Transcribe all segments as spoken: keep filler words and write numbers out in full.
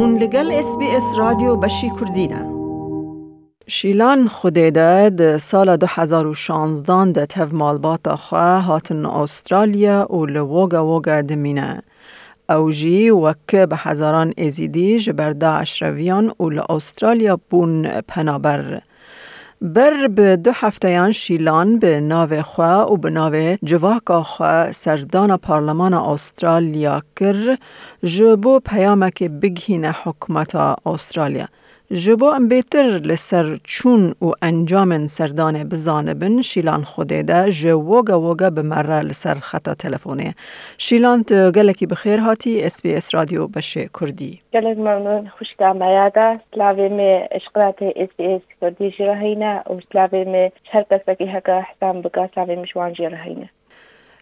Hûn li gel S B S Radyo Beşî Kurdî ne. Şîlan Xwedêde di sala du hezar û şanzdan de tev malbata xwe hatin Astralya û li Woga Woga dimîne. Ew jî wek bi hezaran Êzîdî ji ber DAIŞ reviyan û li Astralya bûn penaber. Ber bi du hefteyan Şîlan bi navê xwe û bi navê civaka xwe serdana Parlemana Astralya kir, ji bo peyamekê bigihîne hikûmeta Astralya. Ji bo em bêtir li ser çûn û encamên serdanê bizanibin, Şîlan Xwedêde ji Woga Woga bi me re li ser xeta telefonê ye. Şîlan, tu gelekî bi xêr hatî S B S Radyo Beşê Kurdî. Gelek memnûn, xwişka me ya da. Silavê me ji qinatê S B S Kurdî jî re heyne û silavê me ji her kesekî heke hesab bike, silavê me ji wan jî re heyne.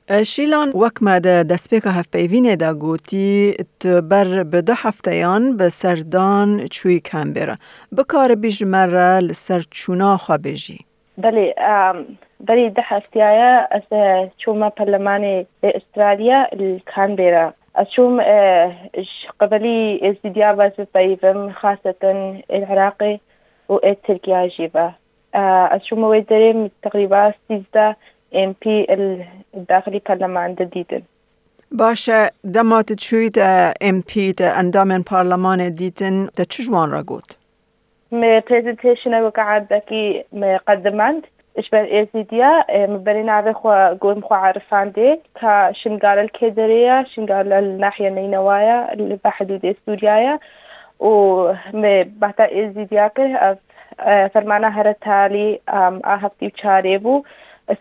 E, Şîlan, wek me di destpêka hevpeyvînê de gotî, tu ber bi du hefteyan bi serdan çûyî Canberra. Bikaribî ji me re li ser çûna xwe bêjî? Belê, em, berî du hefteya ye ez, e, çûme perlemanê ê Astralya li Canberra. Ez çûm, e, ji qebelî Êzîdiya ve ez bipeyivim, xasetin ê Iraqê û ê Tirkiya jî ve. E, ez çûme wê derê, min teqrîba sîzdeh M P li daxilî perleman de dîtin. Baş e, dema tu çûyî te M P, te endamên parlemanê dîtin, te çi ji wan re got? Me presentation weke erdekî me qedimand ji ber Êzîdiya, e, me berê navê xwe got, min xwe erifandê ka Şingal li kê derê ye, Şingal li nahiya Neynewa ye, li be hidûdê Sûriya ye û me behta Êzîdiya kir, ev, e, fermana here talî, em, a heftê û çarê bû,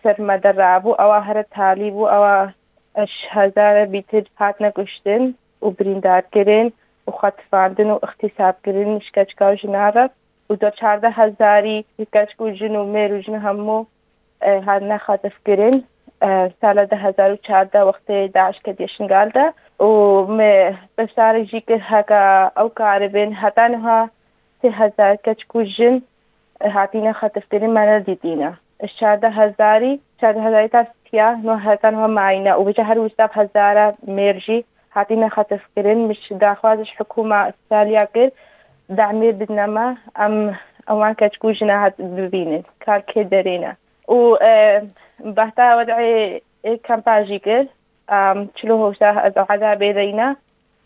ser me derabû, ewa here talî bû, ewa ji hezare bîtir hatine kuştin û birîndar kirin û xetifandin û îxtîsab kirin ji keçika û jina re û da çardeh hezarî keçik û jin û mêr û jin hemû, e, hatine xetifkirin. E, sala du hezar û çardeh wextê DAIŞ ketiye Şingal de û me beşdarek jî kir heke ew karibin heta niha sê hezar keçik û jin hatine xetifkirin me nedîtîne. Ji çardeh hezarî, çardeh hezarî ta siya, no heta niha mayîne û vêca her wisa bi hezara mêr jî hatine xetifkirin. Min ji daxwaz ji hikûma Astralya kir, demê bidine me, em, em wan keçik û jina hat bibînin, ka li kê derê ne. Û, e, behta wed'ê, e, kampa jî kir, em, çilo hewşa ez ezabê deyne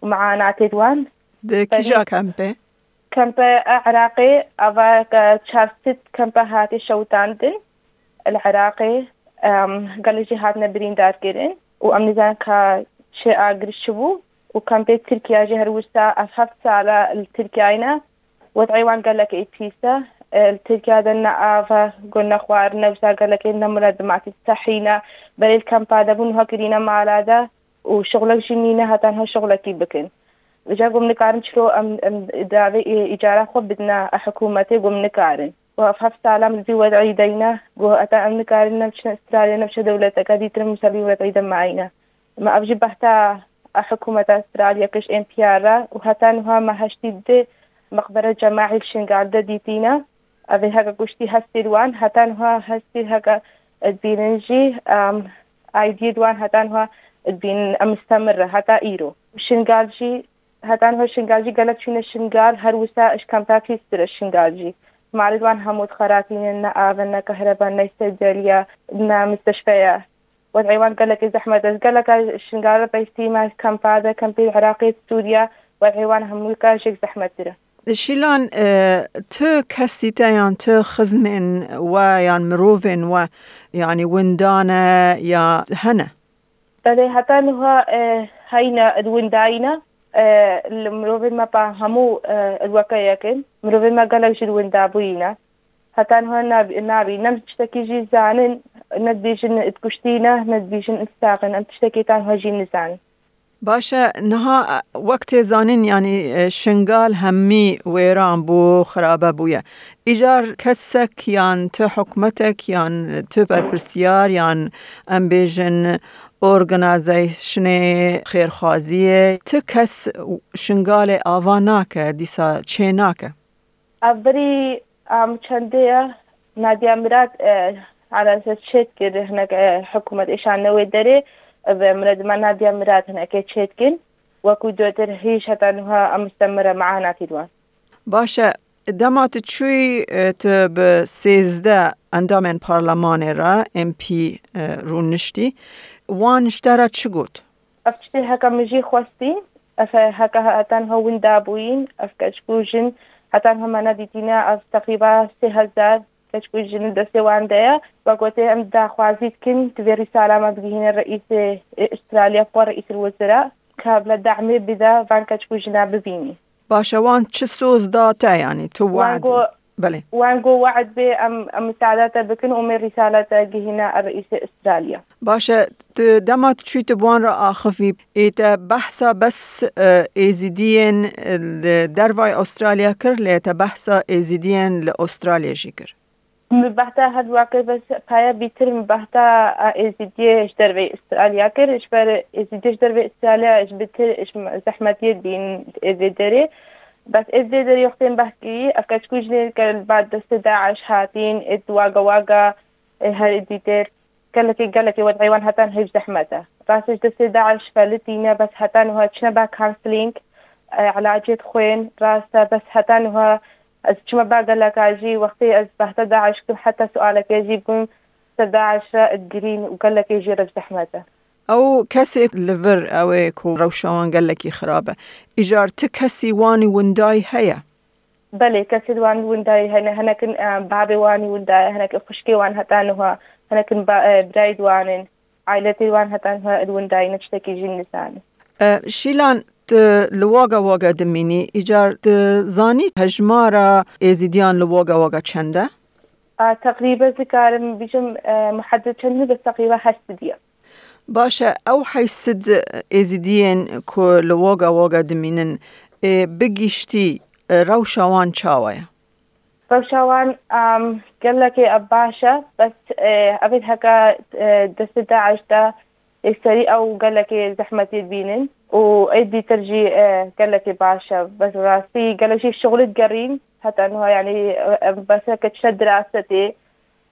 û meanatê wan. Di kîja kempê? Kempe Iraqê, ava ke çar sed kempe hate şewitandin li Iraqê, em, gelek jî hatine birîndar kirin û em nizanin ka çi agir çi bû û kempê Tirkiye jî her wisa ev heft sala li Tirkiyeyê ne. Wed'ê wan gelek ê pîs e. E, li Tirkiye de ne av e, got ne xwarin e, wisa gelekê ne miladimati sehî ne. Berê li kempa de bûn, niha kirîne mala de û şixulek jî nîne, heta niha şixulekî bikin. Vêca got, em nikarin çilo em, em davê î-, îcara xwe bidine hikûmetê, got, em nikarin. Û ev heft sala em li vî wed'î deyne, got, heta em nikarin, ne biçin Astralya, ne biçe dewleteke dîtir, em ser vî wed'î de mayîne. Me ev jî behta hikûmeta Astralya kir ji N P R re û heta niha me heştê du meqbere cemaî li Şingal de dîtîne. Ev ê heke kuştî hestê wan heta niha hestê heke dibînin jî, em, aîdiyê wan heta niha dibînin, em mistemir re heta îro. Şingal jî, heta niha Şingal jî gelek çûne Şingal, her wisa ji kempa pîstir e Şingal jî. Malê wan hemû dixeratînin, ne av e, ne kehreba, ne sedeliya, ne misteşfe ye. Wed'ê wan gelekî zehmet e. Ez geleka Şingal re beysîme, kempa de, kempê Iraqê, Sûriye, wed'ê wan hemû ka jêk zehmettir e. Şîlan, e, tu kesî te yan tu xizmên we yan mirovên we, yanî winda ne ya hene? Belê, heta niha, e, heyne, di windayî ne, e, li mirovên me pa hemû, e, li weke yek in. Mirovên me gelek jî di winda bûyî ne. Heta niha nab-, nabî, ne tiştekî jî zanin, ne dibêjin di kuştî ne, ne dibêjin di sax in. Em tiştekî ta niha jî nizanin. Baş e, niha, e, wek tê zanîn, yanî, e, Şingal hemî wêran bû, xirabe bûye. Îcar kesek yan tu hikûmetek yan tu berpirsiyar yan em bêjin organîzasyonê xêrxwaziyê, tu kes Şingalê ava nake, dîsa çê nake. Ev berî, em, çendê ye, Nadia Mirad, e, alese çêt kir, hinek, e, hikûmet êşanine wê derê, e, ve miradima Nadia Mirad hinekê çêt kin. Wekî dotir hîş heta niha em mustemir e, meanetî wan. Baş e, dema tu çûyî, e, tu bi sêzdeh endamên parlemanê re, M P, e, rûniştî, wan ji te re çi got? Ev tiştê heke min jî xwestî, ev he-, heke heta niha winda bûyîn, ev keçik û jin heta niha me nedîtîne, ev teqrîba sê hezar keçik û jin li destê wan de ye. Wek gotê, em daxwazî dikin, divê rîsala me bigihîne reîsê, e, Australya, xwe reîsîl wezira, ka bila dehmê bide van keçik û jina bibînî. Baş e, wan çi soz da te, yanî tu Wan we'd got, Belê. Wan got we'd bê em, em misaada te bikin û me rîsala te gihîne reîsê Australya. Baş e, tu dema tu çûyî tu bi wan re axivî, ê te behsa bes, e, êzîdiyên, e, li dervayê Australya kir, lê te behsa êzîdiyên li Australya jî kir? Min behsa her waqê bes paya bîtir min behsa, e, êzîdiyê ji derveyê Australya kir. Ji ber êzîdiyê ji derveyê Australya ji bitir ji zehmetiyê dibîn ê vê derê. Bes ê vê derê wextên behs kirî, ev keçik û jinên ke li ber destê DAIŞ hatîn, ê waga waga, ê her êdî têr gelekê, gelekê wed'ê wan heta niha heyv zehmet e. Rast e, ji destê DAIŞ felitîne, bes heta niha çine ba counseling, e, ilacê dixwên, rast e, bes heta niha ez çime ba geleka jî, wextê ez behsa DAIŞ kim, heta sualekê jî bûm ser DAIŞ re digirîn û gelekê jî re zehmet e. Ew kesê li vir ew ê ku rewşa wan gelekî xirab e. Îcar ti kesî wanî windayî heye? Belê, kesê wan windayî hene, hinekin, e, babê wanî winda ye, hinekin xwişkê wan heta niha, hinekin ba-, e, birayê wan in, ailetê wan heta niha li windayî ne, tiştekî jî nizanin. E, Şîlan, tu li waga waga dimînî, îcar tu zanî hejmara êzîdiyan li waga waga çend e? A, teqrîben dikarim bijim, e, muhedded çend e, bes teqrîben heşt sed e. Baş e, ew heşt sed êzîdiyên ku li waga waga dimînin, ê, bi giştî, e, rewşa wan çawa ye? Rewşa wan, em, gelekê ev baş e, bes, e, evê heke, e, destê DAIŞ de, ê, serî ew gelekê zehmetî dibînin û ê dîtir jî, e, gelekê baş e. Bes rastî gelek jî şixulî digerîn. Heta niha, yanî, e, em, bes heke çine dirasetê,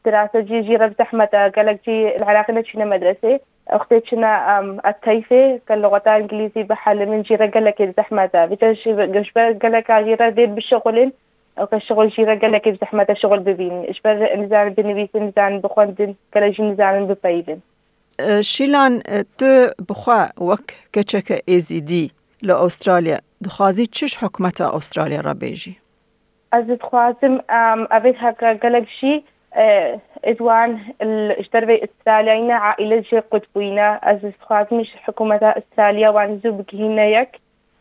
Dirase cî jî re bi zehmet e, gelek cî li Iraqê neçûne medresê. Wextê çine, em, et teyfê, ke luxeta îngilîzî bihelimin, jî re gelekê bi zehmet e. Vêca ji, ji ber geleka jî re dê bişixulin, ew ke şixul jî re gelekê bi zehmet e şixul bibînin. Ji ber nizanin binivîsin, nizanin bixwendin, gelek jî nizanin bipeyivin. E, Şîlan, e, tu bi xwe wek keçeke êzîdî li Australya dixwazî çi ji hikûmeta Australya re bêjî? Ez dixwazim, em, evê heke gelek jî, e, êd wan l-, ji derveyî Australyayê ne, aîle jê qut bûyîne. Ez dixwazim ji hikûmeta Australya wan zû bigihîne yek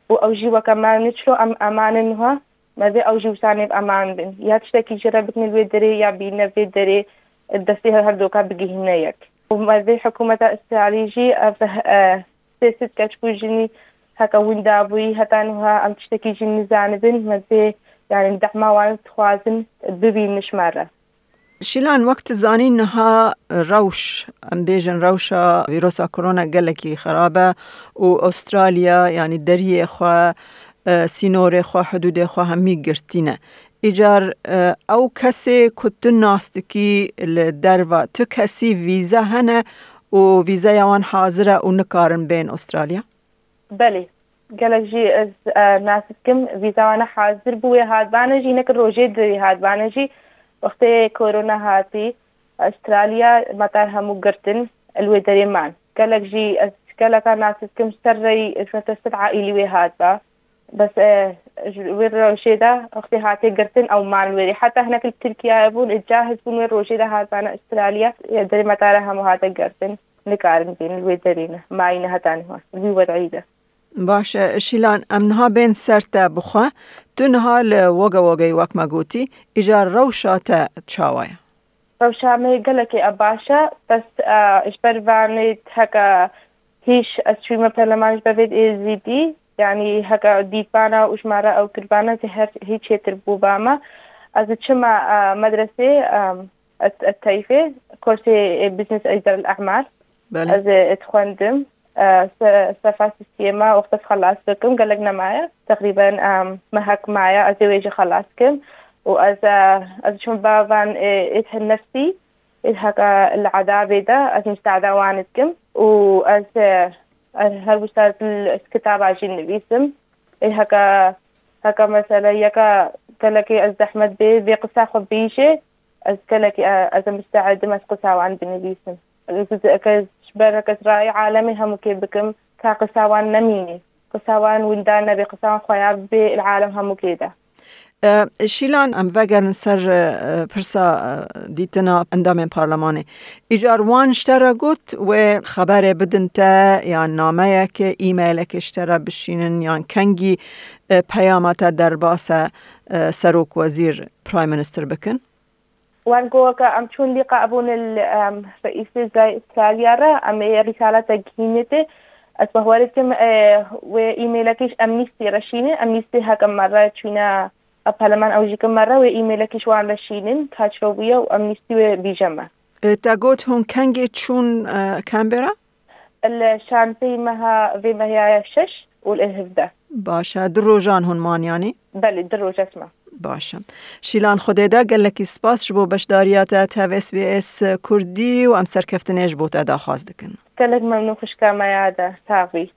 û ew jî weke me ne çilo em eman in niha, me vê ew jî wisa nêv eman bin. Ya tiştekî jê re bikin li wê derê ya bîne vê derê destê her doka bigihîne yek. Û me vê hikûmeta Australî jî ev, e, sê sed keç ku jinî heke winda bûyî, heta niha em tiştekî jî nizanibin, me vê, yani, dehma wan dixwazin bibînin ji me re. Şîlan, wek tu zanî niha rewş, em bêjin rewşa vîrosa korona gelekî xirab e û Australya, yani, deriyê xwe, e, sînorê xwe, hidûdê xwe hemî girtî ne. Îcar, e, ew kesê ku tu nas dikî li derva, tu kesî vîza hene û vîzeya wan hazir e û nikarin bên Australya? Belê. Gelek jî ez, e, nas dikim, vîza wan hazir bû, wê hatbane jî, hinek rojê dirî hatbane jî. Wextê korona hatî, Australya metar hemû girtin, li wê derê man. Gelek jî ez geleka nas dikim, ser rey, ez ne te sed aîlî wê hatba. Bes, e, ji wê rojê de wextê hate girtin ew man wêrê. Heta hinek li Tirkiyeyê bûn, ê cahiz bûn, wê rojê de hatbane Australya. E, derê metara hemû hate girtin. Nikarin bên li wê derê ne. Mayîne heta niha. Li wî wed'î de. Baş e, Şîlan, em niha bên ser te bixwe. Tu niha li Wagga Waggayê wek me gotî, îcar rewşa te çawa ye? Rewşa me gelekê e baş e, bes, e, ji ber vanê heke hîş ez çûyîme perleman ji ber vê êzîdî, yanî heke dîtbana û ji me re ew kirbana zêher hî çêtir bû ba me. Ez diçime, e, medresê, e, et, et teyfê, kursê, e, Business Idare el A'mal. Belê. Ez, e, dixwendim. E, se-, sefa sîstema wexta ez xelas bikim, gelek nemaye. Teqrîben, em, mehek maye, ez ê wê jî xelas kim. Û ez, e, ez çûm ba van, e, êd hin nefsî, êd heke li edabê de, ez misaada wan dikim. Û ez, e, Ez her wisa dil ez kitaba jî nivîsim. Ê heke, heke mesela yeka gelekî ez zehmet bê, vê qisa xwe bîjê, ez gelekî, e, ez ê misteedim ez qisa wan binivîsim. Ez, ez, ez ji ber heke ez rayê alemê hemûkê bikim, ka qisa wan nemînî. Qisa wan winda nebê, qisa wan xweya bê il alem hemûkê de. E, Şîlan, em vegerin ser, e, pirsa, e, dîtina endamên parlemanê. Îcar wan ji te re got wê xeberê bidin te, yan nameyek, e-mailekê ji te re bişînin, yan kengî, e, peyama te derbasa, e, serok wezîr, Prime Minister bikin? Wan got ke em çûn lîqa bûn li, em, reîsê zay Australya re, em ê rîsaletek gihînê tê. Ez bawer dikim, e, wê e-mailekî ji Amnesty re şînin, Amnesty heke me re çûne, e, parleman ew jî ke me re wê e-mailekî ji wan re şînin, ka çi bûye û Amnesty wê bîje me. E, te got hûn kengê çûn, e, Canberra? Li şanpêy meha vê meha ya şeş û li hevdeh. Baş e, du rojan hûn man yanî? Belê, du roj ez mam. Baş e. Şîlan Xwedêda, gelekî spas ji bo beşdariya te tev S B S Kurdî û em serkeftinê ji bo te daxwaz dikin. Gelek memnûn xwişka me ya de. Sax bî.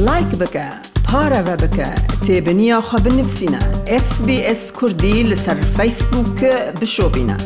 Like bike, pareve bike, têbiniya xwe binivîsîne. S B S Kurdî li ser Facebook bişopîne.